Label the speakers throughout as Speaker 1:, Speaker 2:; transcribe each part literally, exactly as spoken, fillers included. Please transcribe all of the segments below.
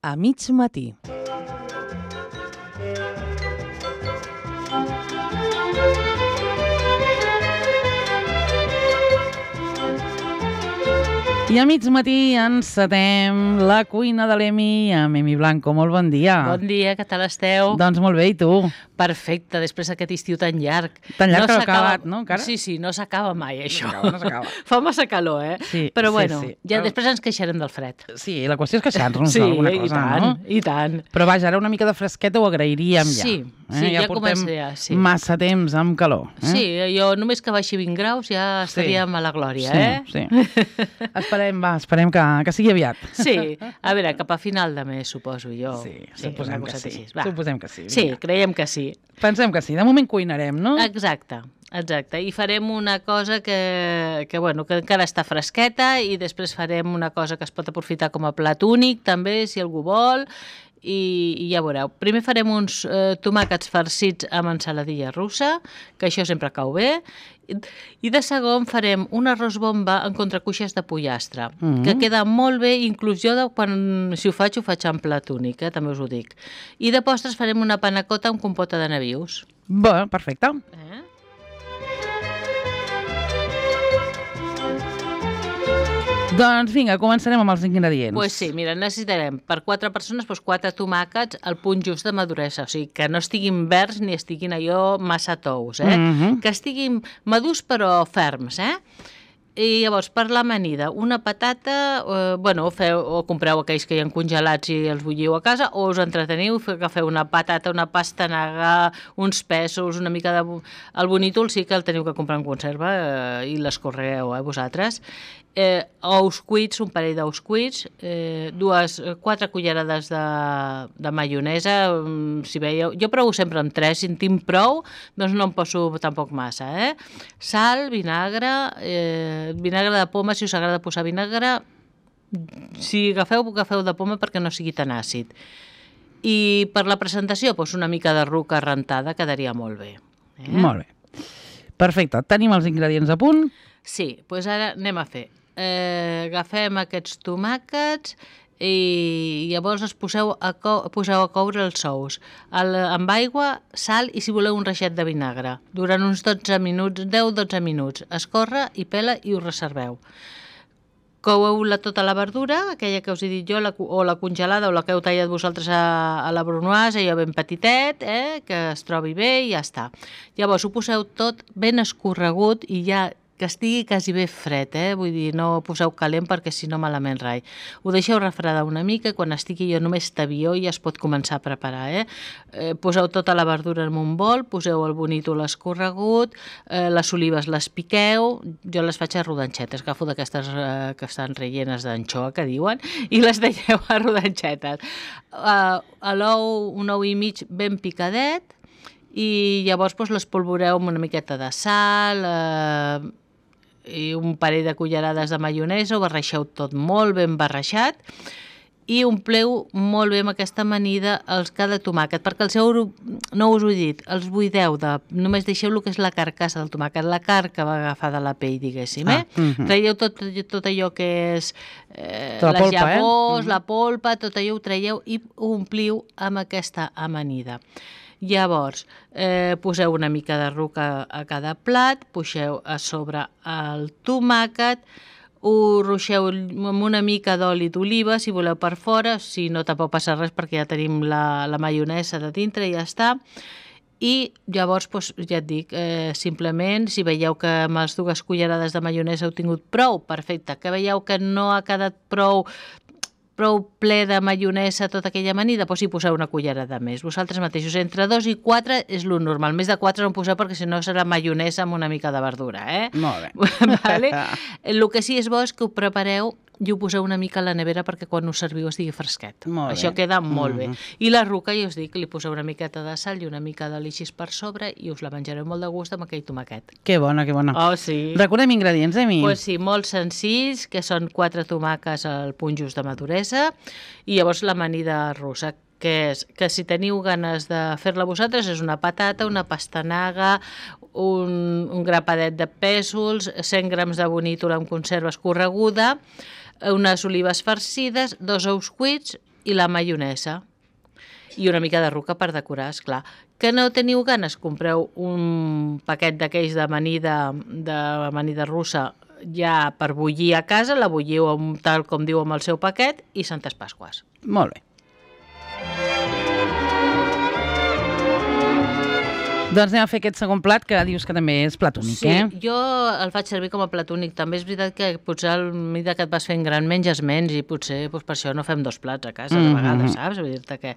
Speaker 1: A mig matí. I a mig matí encetem la cuina de l'Emi amb Emi Blanco. Molt bon dia.
Speaker 2: Bon dia, què tal esteu?
Speaker 1: Doncs molt bé, i tu?
Speaker 2: Perfecte, després d'aquest estiu tan llarg.
Speaker 1: Tan llarg que no ha acabat, no, encara?
Speaker 2: Sí, sí, no s'acaba mai, això.
Speaker 1: No s'acaba, no s'acaba.
Speaker 2: Fa massa calor, eh?
Speaker 1: Sí,
Speaker 2: Però
Speaker 1: sí,
Speaker 2: bueno,
Speaker 1: sí.
Speaker 2: ja
Speaker 1: Però...
Speaker 2: després ens queixarem del fred.
Speaker 1: Sí, la qüestió és queixar-nos
Speaker 2: sí,
Speaker 1: d'alguna cosa,
Speaker 2: i tant,
Speaker 1: no?
Speaker 2: i tant.
Speaker 1: Però vaja, ara una mica de fresqueta ho agrairíem ja.
Speaker 2: Sí,
Speaker 1: eh?
Speaker 2: sí, ja,
Speaker 1: ja portem
Speaker 2: comença, ja, sí.
Speaker 1: massa temps amb calor. Eh?
Speaker 2: Sí, jo només que baixi vint graus ja estaríem
Speaker 1: sí.
Speaker 2: a la glòria,
Speaker 1: sí,
Speaker 2: eh?
Speaker 1: Sí, esperem, va, esperem que, que sigui aviat.
Speaker 2: Sí, a veure, cap a final de mes, suposo jo.
Speaker 1: Sí,
Speaker 2: sí
Speaker 1: suposem que sí. Suposem que sí.
Speaker 2: Sí, creiem que sí.
Speaker 1: Pensem que sí. De moment cuinarem, no?
Speaker 2: Exacte, exacte. I farem una cosa que, que, bueno, que encara està fresqueta i després farem una cosa que es pot aprofitar com a plat únic, també, si algú vol, i, i ja veureu. Primer farem uns eh, tomàquets farcits amb ensaladilla russa, que això sempre cau bé, i de segon farem un arròs bomba en contracuixes de pollastre, mm-hmm. que queda molt bé, inclús jo de, quan, si ho faig, ho faig en plat únic, eh, també us ho dic. I de postres farem una panacota amb compota de nabius.
Speaker 1: Bé, perfecte.
Speaker 2: Eh?
Speaker 1: Doncs vinga, començarem amb els ingredients.
Speaker 2: Pues sí, mira, necessitarem per quatre persones doncs, quatre tomàquets al punt just de maduresa, o sigui, que no estiguin verds ni estiguin allò massa tous, eh?
Speaker 1: Mm-hmm.
Speaker 2: Que estiguin madurs però ferms, eh? I llavors, per l'amanida, una patata, eh, bueno, o, feu, o compreu aquells que hi ha congelats i els bulliu a casa, o us entreteniu, que feu una patata, una pastanaga, uns pèsols, una mica de... El bonítol sí que el teniu que comprar en conserva eh, i l'escorregueu, eh, vosaltres. Eh, ous cuits, un parell d'ous cuits, eh, dues, quatre cullerades de, de maionesa, si veieu, jo provo sempre amb tres, si en tinc prou, doncs no em poso tampoc massa, eh? Sal, vinagre, eh, vinagre de poma, si us agrada posar vinagre, si agafeu, agafeu de poma perquè no sigui tan àcid. I per la presentació, doncs una mica de ruca rentada quedaria molt bé. Eh?
Speaker 1: Molt bé. Perfecte, tenim els ingredients a punt?
Speaker 2: Sí, doncs ara anem a fer. Eh, agafem aquests tomàquets i llavors els poseu a, co poseu a coure els ous el, amb aigua, sal i si voleu un reixet de vinagre durant uns dotze minuts, deu dotze minuts. Escorre i pela i ho reserveu. Coueu la, tota la verdura, aquella que us he dit jo, la, o la congelada o la que heu tallat vosaltres a, a la brunoise, allò ben petitet, eh, que es trobi bé i ja està. Llavors ho poseu tot ben escorregut i ja que estigui quasi bé fred, eh? Vull dir, no poseu calent perquè si no malament rai. Ho deixeu refredar una mica i quan estigui jo només tabió ja es pot començar a preparar, eh? eh poseu tota la verdura en un bol, poseu el bonítol escorregut, eh, les olives les piqueu, jo les faig a rodanxetes, agafo d'aquestes eh, que estan rellenes d'anxoa, que diuen, i les deixeu a rodanxetes. Uh, a l'ou, un ou i mig ben picadet, i llavors doncs, les polvoreu amb una miqueta de sal, eh, i un parell de cullerades de maionesa, ho barreixeu tot molt ben barreixat i ompleu molt bé amb aquesta amanida els cada tomàquet, perquè el seu, no us ho he dit, els buideu, de, només deixeu el que és la carcassa del tomàquet, la carn que va agafar de la pell, diguéssim, eh? Ah, uh-huh. Traieu tot, tot allò que és eh, les polpa, llavors, eh? La polpa, tot allò ho traieu i ho ompliu amb aquesta amanida. Llavors, eh, poseu una mica de ruca a cada plat, poseu a sobre el tomàquet, ho ruixeu amb una mica d'oli d'oliva, si voleu per fora, si no tampoc passa res perquè ja tenim la, la maionesa de dintre i ja està. I llavors, doncs, ja et dic, eh, simplement, si veieu que amb les dues cullerades de maionesa heu tingut prou, perfecte, que veieu que no ha quedat prou... prou ple de maionesa, tota aquella amanida, doncs hi poseu una cullerada més. Vosaltres mateixos, entre dos i quatre és lo normal. Més de quatre no en poseu perquè si no serà maionesa amb una mica de verdura, eh?
Speaker 1: Molt bé.
Speaker 2: Vale? El que sí és bo és que ho prepareu i ho poseu una mica a la nevera perquè quan ho serviu estigui fresquet.
Speaker 1: Molt
Speaker 2: Això
Speaker 1: bé.
Speaker 2: queda molt
Speaker 1: Mm-hmm.
Speaker 2: bé. I la ruca, ja us dic, li poseu una miqueta de sal i una mica d'alixis per sobre i us la menjareu molt de gust amb aquell tomàquet.
Speaker 1: Que bona, que bona.
Speaker 2: Oh, sí.
Speaker 1: Recordem ingredients, eh, mi?
Speaker 2: Pues sí, molt senzills, que són quatre tomàquets al punt just de maduresa i llavors l'amanida russa, que és que si teniu ganes de fer-la vosaltres és una patata, una pastanaga, un, un grapadet de pèsols, cent grams de bonítol amb conserva escorreguda, unes olives farcides, dos ous cuits, i la maionesa. I una mica de ruca per decorar, esclar. Que no teniu ganes? Compreu un paquet d'aquells d'amanida de amanida russa ja per bullir a casa, la bulliu tal com diu amb el seu paquet i Santes Pasques.
Speaker 1: Molt bé. Doncs anem a fer aquest segon plat que dius que també és platònic,
Speaker 2: sí,
Speaker 1: eh?
Speaker 2: Sí, jo el faig servir com a platònic. També és veritat que potser a mesura que et vas fent gran menges menys i potser doncs, per això no fem dos plats a casa de vegades, saps? Vull dir-te que...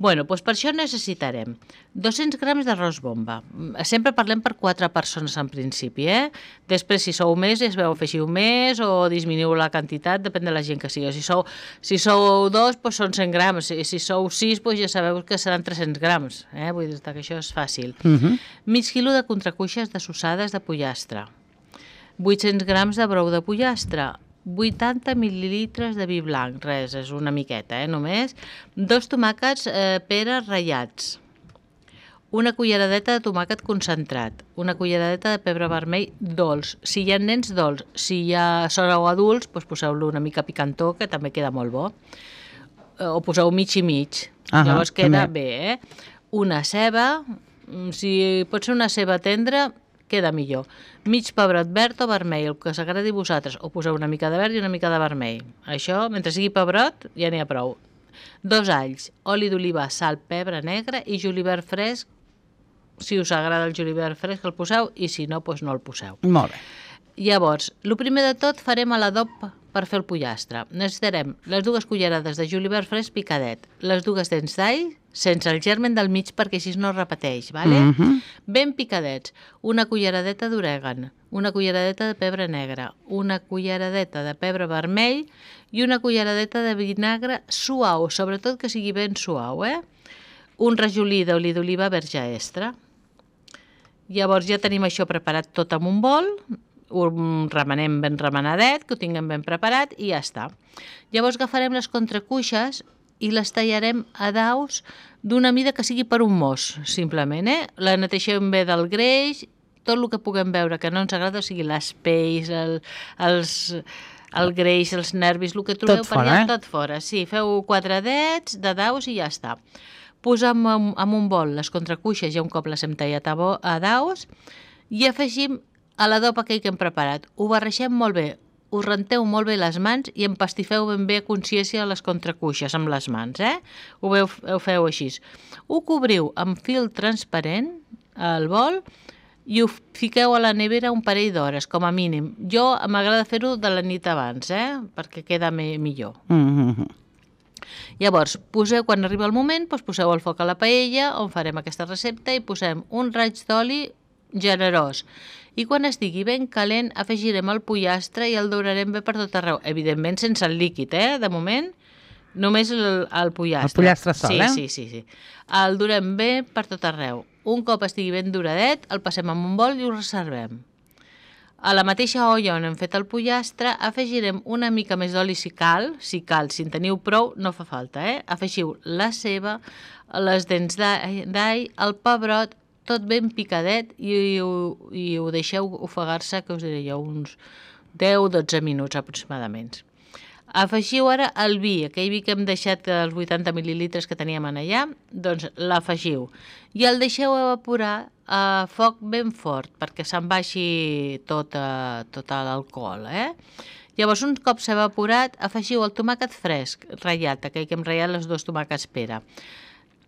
Speaker 2: Bueno, doncs per això necessitarem dos-cents grams d'arròs bomba. Sempre parlem per quatre persones en principi, eh? Després, si sou més, ja es veu, afegiu més o disminuïu la quantitat, depèn de la gent que sigui. Si sou, si sou dos, doncs són cent grams. Si, si sou sis, doncs ja sabeu que seran tres-cents grams. Eh? Vull dir-te que això és fàcil.
Speaker 1: Uh-huh.
Speaker 2: Mig quilo de contracuixes dessossades de pollastre, vuit-cents grams de brou de pollastre, vuitanta mil·lilitres de vi blanc, res, és una miqueta, eh, només, dos tomàquets eh, peres ratllats, una culleradeta de tomàquet concentrat, una culleradeta de pebre vermell dolç. Si hi ha nens, dolç. Si ja sou adults, doncs poseu-lo una mica picantó, que també queda molt bo. O poseu mig i mig.
Speaker 1: Ah,
Speaker 2: llavors queda
Speaker 1: també.
Speaker 2: bé, eh? Una ceba, si pot ser una ceba tendra, queda millor. Mig pebrot verd o vermell, el que s'agradi a vosaltres. O poseu una mica de verd i una mica de vermell. Això, mentre sigui pebrot, ja n'hi ha prou. Dos alls, oli d'oliva, sal, pebre negre i julivert fresc. Si us agrada el julivert fresc el poseu i si no, doncs no el poseu.
Speaker 1: Molt bé.
Speaker 2: Llavors, el primer de tot farem l'adob per fer el pollastre. Necessitarem les dues cullerades de julivert fresc picadet, les dues dents d'all, sense el germen del mig perquè així no es repeteix, vale?
Speaker 1: Uh-huh.
Speaker 2: Ben picadets, una culleradeta d'orègan, una culleradeta de pebre negre, una culleradeta de pebre vermell i una culleradeta de vinagre suau, sobretot que sigui ben suau, eh? Un rajolí d'oli d'oliva verge extra. Llavors ja tenim això preparat tot en un bol, ho remenem ben remenadet, que ho tinguem ben preparat i ja està. Llavors agafarem les contracuixes i les tallarem a daus d'una mida que sigui per un mos, simplement, eh? La neteixem bé del greix, tot el que puguem veure que no ens agrada, o sigui, les pells, el, els, el greix, els nervis, el que trobeu
Speaker 1: Tot
Speaker 2: per
Speaker 1: fora,
Speaker 2: allà,
Speaker 1: eh?
Speaker 2: tot fora. Sí, feu quatre dets de daus i ja està. Posem en, en un bol les contracuixes, ja un cop les hem tallat a, bo, a daus, i afegim a l'adob aquell que hem preparat. Ho barreixem molt bé, us renteu molt bé les mans i empastifeu ben bé a consciència les contracuixes amb les mans, eh? Ho, veu, ho feu així. Ho cobriu amb fil transparent al bol i ho fiqueu a la nevera un parell d'hores, com a mínim. Jo m'agrada fer-ho de la nit abans, eh? Perquè queda me, millor.
Speaker 1: Uh-huh.
Speaker 2: Llavors, poseu, quan arriba el moment, doncs poseu el foc a la paella on farem aquesta recepta i posem un raig d'oli generós. I quan estigui ben calent, afegirem el pollastre i el daurarem bé per tot arreu. Evidentment, sense el líquid, eh? De moment, només el, el pollastre.
Speaker 1: El pollastre sol,
Speaker 2: sí,
Speaker 1: eh?
Speaker 2: Sí, sí, sí. El durem bé per tot arreu. Un cop estigui ben duradet, el passem en un bol i ho reservem. A la mateixa olla on hem fet el pollastre, afegirem una mica més d'oli si cal, si cal, si en teniu prou, no fa falta, eh? Afegiu la ceba, les dents d'all, el pebrot, tot ben picadet i, i, i ho deixeu ofegar-se, que us diré jo, uns deu a dotze minuts aproximadament. Afegiu ara el vi, aquell vi que hem deixat, els vuitanta mil·lilitres que teníem allà, doncs l'afegiu i el deixeu evaporar a foc ben fort perquè se'n baixi tot, uh, tot l'alcohol, eh? Llavors, un cop s'ha evaporat, afegiu el tomàquet fresc, ratllat, aquell que hem ratllat els dos tomàquets pera,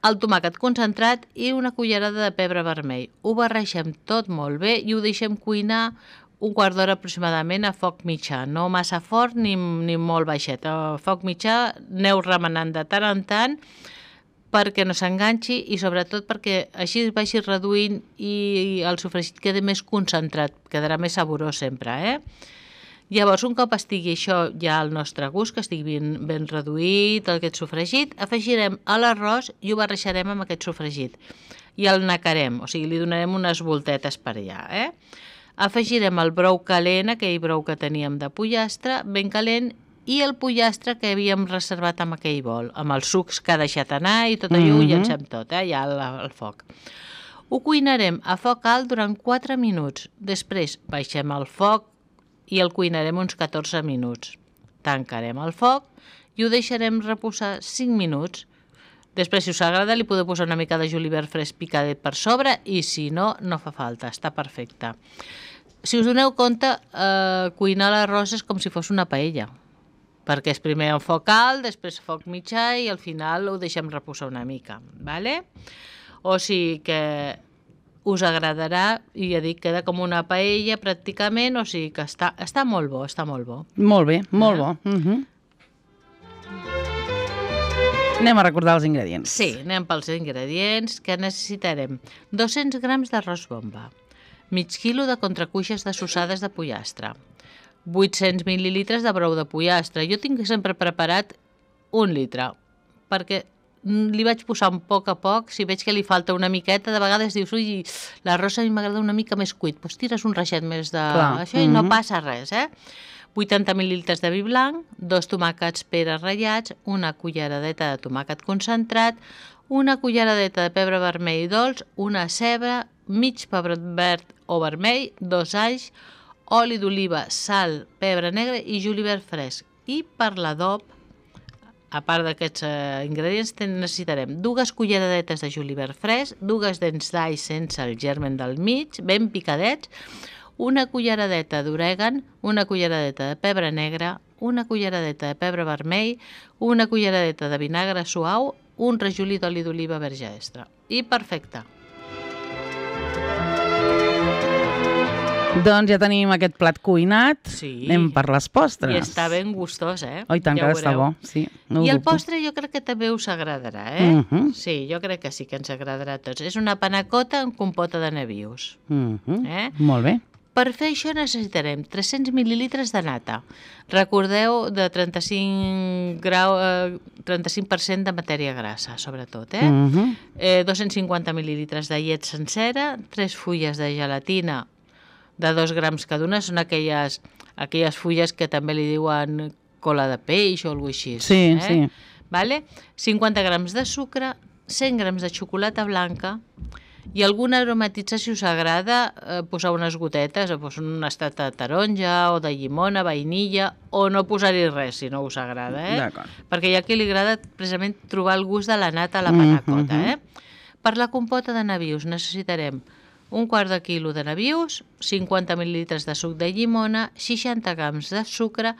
Speaker 2: el tomàquet concentrat i una cullerada de pebre vermell. Ho barreixem tot molt bé i ho deixem cuinar un quart d'hora aproximadament a foc mitjà, no massa fort ni, ni molt baixet. A foc mitjà aneu remenant de tant en tant perquè no s'enganxi i sobretot perquè així vagi reduint i el sofregit quedi més concentrat, quedarà més saborós sempre, eh? Llavors, un cop estigui això ja al nostre gust, que estigui ben, ben reduït, aquest sofregit, afegirem a l'arròs i ho barreixarem amb aquest sofregit. I el nacarem, o sigui, li donarem unes voltetes per allà, eh? Afegirem el brou calent, aquell brou que teníem de pollastre, ben calent, i el pollastre que havíem reservat amb aquell bol, amb els sucs que ha deixat anar i tot allò mm-hmm. ho llancem tot, eh, ja al, al foc. Ho cuinarem a foc alt durant quatre minuts. Després baixem el foc i el cuinarem uns catorze minuts. Tancarem el foc i ho deixarem reposar cinc minuts. Després, si us agrada, li podeu posar una mica de julivert fresc picadet per sobre i si no, no fa falta, està perfecte. Si us doneu compte, eh, cuinar l'arròs és com si fos una paella, perquè és primer en foc alt, després foc mitjà i al final ho deixem reposar una mica, ¿vale? O sigui que us agradarà, i ja dic, queda com una paella pràcticament, o sigui que està, està molt bo, està molt bo.
Speaker 1: Molt bé, molt bo. Uh-huh. Anem a recordar els ingredients.
Speaker 2: Sí, anem pels ingredients, que necessitarem dos-cents grams d'arròs bomba, mig quilo de contracuixes dessossades de pollastre, vuit-cents mil·lilitres de brou de pollastre. Jo tinc sempre preparat un litre, perquè li vaig posar un poc a poc, si veig que li falta una miqueta, de vegades dius, ui, l'arròs a mi m'agrada una mica més cuit, doncs tires un reixet més de
Speaker 1: Clar.
Speaker 2: això i no passa res, eh? vuitanta mil·lilitres de vi blanc, dos tomàquets peres ratllats, una culleradeta de tomàquet concentrat, una culleradeta de pebre vermell dolç, una ceba, mig pebrot verd o vermell, dos alls, oli d'oliva, sal, pebre negre i julivert fresc. I per l'adob, a part d'aquests eh, ingredients, necessitarem dues culleradetes de julivert fresc, dues dents d'all sense el germen del mig, ben picadets, una culleradeta d'orègan, una culleradeta de pebre negre, una culleradeta de pebre vermell, una culleradeta de vinagre suau, un rajolí d'oli d'oliva verge extra. I perfecte.
Speaker 1: Doncs ja tenim aquest plat cuinat.
Speaker 2: Sí.
Speaker 1: Anem per les postres.
Speaker 2: I està ben gustós, eh?
Speaker 1: Oh, i tant
Speaker 2: ja
Speaker 1: que està bo. Sí, no
Speaker 2: I el
Speaker 1: dubto.
Speaker 2: postre jo crec que també us agradarà, eh?
Speaker 1: Uh -huh.
Speaker 2: Sí, jo crec que sí que ens agradarà a tots. És una panacota amb compota de nabius.
Speaker 1: Uh -huh.
Speaker 2: eh?
Speaker 1: Molt bé.
Speaker 2: Per fer això necessitarem tres-cents mil·lilitres de nata. Recordeu, de trenta-cinc grau, eh, trenta-cinc per cent de matèria grassa, sobretot. Eh?
Speaker 1: Uh -huh.
Speaker 2: eh, dos-cents cinquanta mil·lilitres de llet sencera, tres fulles de gelatina de dos grams cada una, són aquelles, aquelles fulles que també li diuen cola de peix o alguna cosa així.
Speaker 1: Sí,
Speaker 2: eh?
Speaker 1: sí.
Speaker 2: Vale? cinquanta grams de sucre, cent grams de xocolata blanca i alguna aromatitza, si us agrada, eh, posar unes gotetes, doncs un estat de taronja o de llimona, vainilla, o no posar-hi res, si no us agrada. Eh?
Speaker 1: D'acord.
Speaker 2: Perquè hi ha qui li agrada precisament trobar el gust de la nata a la panacota.
Speaker 1: Mm-hmm.
Speaker 2: eh? Per la compota de nabius necessitarem un quart de quilo de nabius, cinquanta mil·lilitres de suc de llimona, seixanta grams de sucre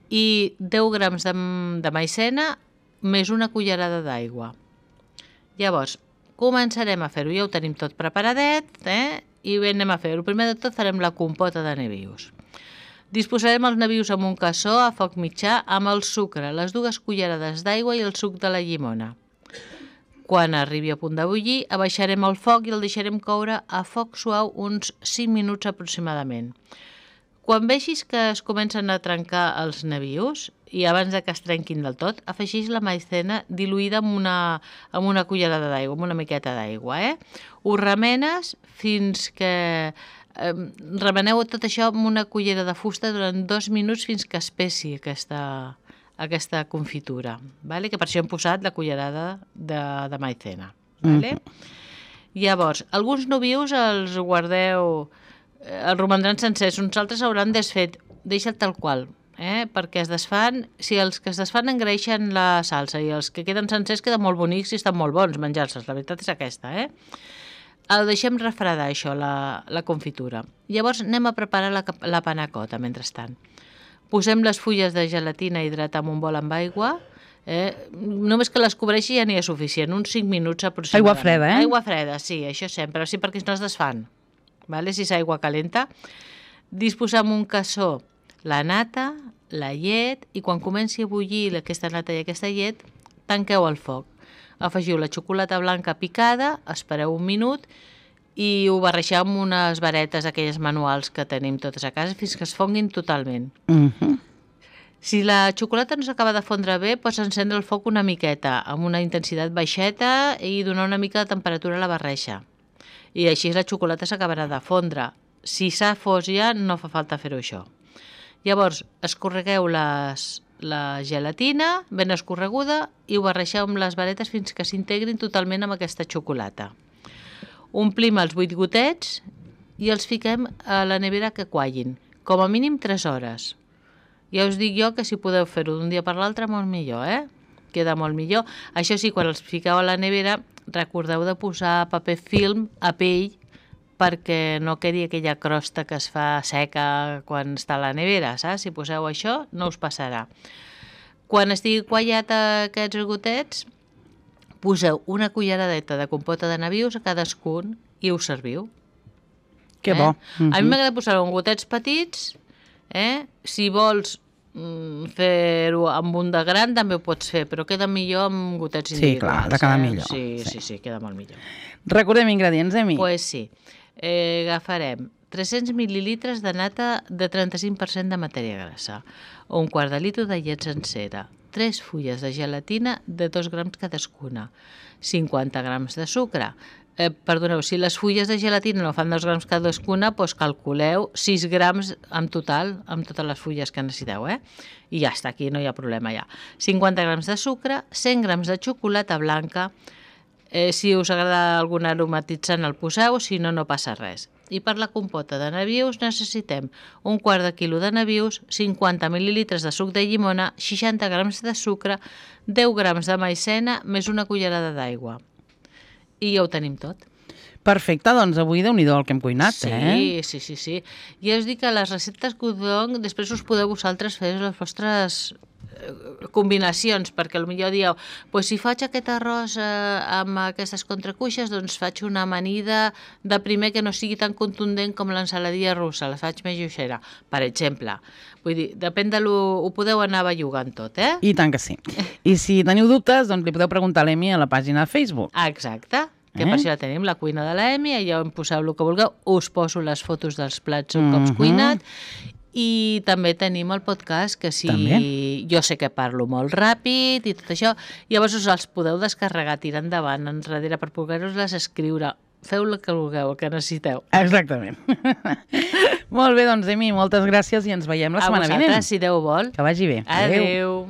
Speaker 2: i deu grams de, de maicena més una cullerada d'aigua. Llavors, començarem a fer-ho, ja ho tenim tot preparadet, eh? I bé, anem a fer-ho. Primer de tot farem la compota de nabius. Disposarem els nabius en un cassó a foc mitjà amb el sucre, les dues cullerades d'aigua i el suc de la llimona. Quan arribi a punt de bullir, abaixarem el foc i el deixarem coure a foc suau uns cinc minuts aproximadament. Quan vegis que es comencen a trencar els nabius, i abans de que es trenquin del tot, afegeix la maicena diluïda amb una, amb una cullerada d'aigua, amb una miqueta d'aigua. Eh? Ho remenes fins que... Eh, remeneu tot això amb una cullera de fusta durant dos minuts fins que espessi aquesta, aquesta confitura. Vale? Que per això hem posat la cullerada de, de maicena. Vale? Mm. Llavors, alguns nabius els guardeu... els romandran sencers, uns altres hauran desfet, deixa't tal qual, eh? Perquè es desfan, si els que es desfan engreixen la salsa i els que queden sencers queden molt bonics i estan molt bons menjar-se'ls, la veritat és aquesta, eh? El deixem refredar això, la, la confitura. Llavors anem a preparar la, la panacota, mentrestant. Posem les fulles de gelatina hidratar en un bol amb aigua, eh? Només que les cobreixi ja n'hi ha suficient, uns cinc minuts aproximadament.
Speaker 1: Aigua freda, eh?
Speaker 2: Aigua freda, sí, això sempre, sí, perquè no es desfan. Vale? Si és aigua calenta, disposar en un cassó la nata, la llet, i quan comenci a bullir aquesta nata i aquesta llet, tanqueu el foc. Afegiu la xocolata blanca picada, espereu un minut i ho barreixeu amb unes varetes, aquelles manuals que tenim totes a casa, fins que es fonguin totalment.
Speaker 1: Uh-huh.
Speaker 2: Si la xocolata no s'acaba de fondre bé, pots encendre el foc una miqueta, amb una intensitat baixeta i donar una mica de temperatura a la barreja. I així la xocolata s'acabarà de fondre. Si s'ha fos ja, no fa falta fer-ho això. Llavors, escorregueu les, la gelatina ben escorreguda i ho barreixeu amb les varetes fins que s'integrin totalment amb aquesta xocolata. Omplim els vuit gotets i els fiquem a la nevera que quallin, com a mínim tres hores. Ja us dic jo que si podeu fer-ho d'un dia per l'altre, molt millor, eh? Queda molt millor. Això sí, quan els fiqueu a la nevera, recordeu de posar paper film a pell perquè no quedi aquella crosta que es fa seca quan està a la nevera, saps? Si poseu això, no us passarà. Quan estigui quallat aquests gotets, poseu una culleradeta de compota de nabius a cadascun i us serviu.
Speaker 1: Que bo.
Speaker 2: Eh? A mi m'agrada posar-ho en gotets petits, eh? Si vols mm, fer-ho amb un de gran també ho pots fer, però queda millor amb gotets individuals.
Speaker 1: Sí, clar, de quedar
Speaker 2: eh?
Speaker 1: millor.
Speaker 2: Sí,
Speaker 1: Sí.
Speaker 2: sí, sí, queda molt millor.
Speaker 1: Recordem ingredients, Emi.
Speaker 2: Doncs pues sí, eh, agafarem tres-cents mil·lilitres de nata de trenta-cinc per cent de matèria grassa, un quart de litre de llet sencera, tres fulles de gelatina de dos grams cadascuna, cinquanta grams de sucre. Eh, perdoneu, si les fulles de gelatina no fan dos grams cadascuna, doncs calculeu sis grams en total, amb totes les fulles que necessiteu, eh? I ja està, aquí no hi ha problema ja. cinquanta grams de sucre, cent grams de xocolata blanca, eh, si us agrada algun aromatitzant el poseu, si no, no passa res. I per la compota de nabius necessitem un quart de quilo de nabius, cinquanta mil·lilitres de suc de llimona, seixanta grams de sucre, deu grams de maicena, més una cullerada d'aigua. I ja ho tenim tot.
Speaker 1: Perfecte, doncs avui déu-n'hi-do el que hem cuinat,
Speaker 2: sí,
Speaker 1: eh?
Speaker 2: Sí, sí, sí. Ja us dic que les receptes que us dono, després us podeu vosaltres fer les vostres combinacions, perquè potser dieu, pues si faig aquest arròs eh, amb aquestes contracuixes, doncs faig una amanida de primer que no sigui tan contundent com l'ensaladilla russa, la faig més lleugera, per exemple. Vull dir, depèn de lo... ho podeu anar bellugant tot, eh?
Speaker 1: I tant que sí. I si teniu dubtes, doncs li podeu preguntar a l'Emi a la pàgina de Facebook.
Speaker 2: Exacte. Que
Speaker 1: Eh?
Speaker 2: per això la tenim, la cuina de l'Emi, allà on poseu el que vulgueu, us poso les fotos dels plats un cops
Speaker 1: Mhm.
Speaker 2: cuinat, i també tenim el podcast, que si
Speaker 1: També.
Speaker 2: jo sé que parlo molt ràpid i tot això, llavors us els podeu descarregar, tirar endavant, enrere, per poder-los escriure. Feu el que vulgueu, el que necessiteu.
Speaker 1: Exactament. Molt bé, doncs, Emi, moltes gràcies i ens veiem la
Speaker 2: A
Speaker 1: setmana
Speaker 2: vosaltres,
Speaker 1: vinent.
Speaker 2: si Déu vol.
Speaker 1: Que vagi bé.
Speaker 2: Adéu.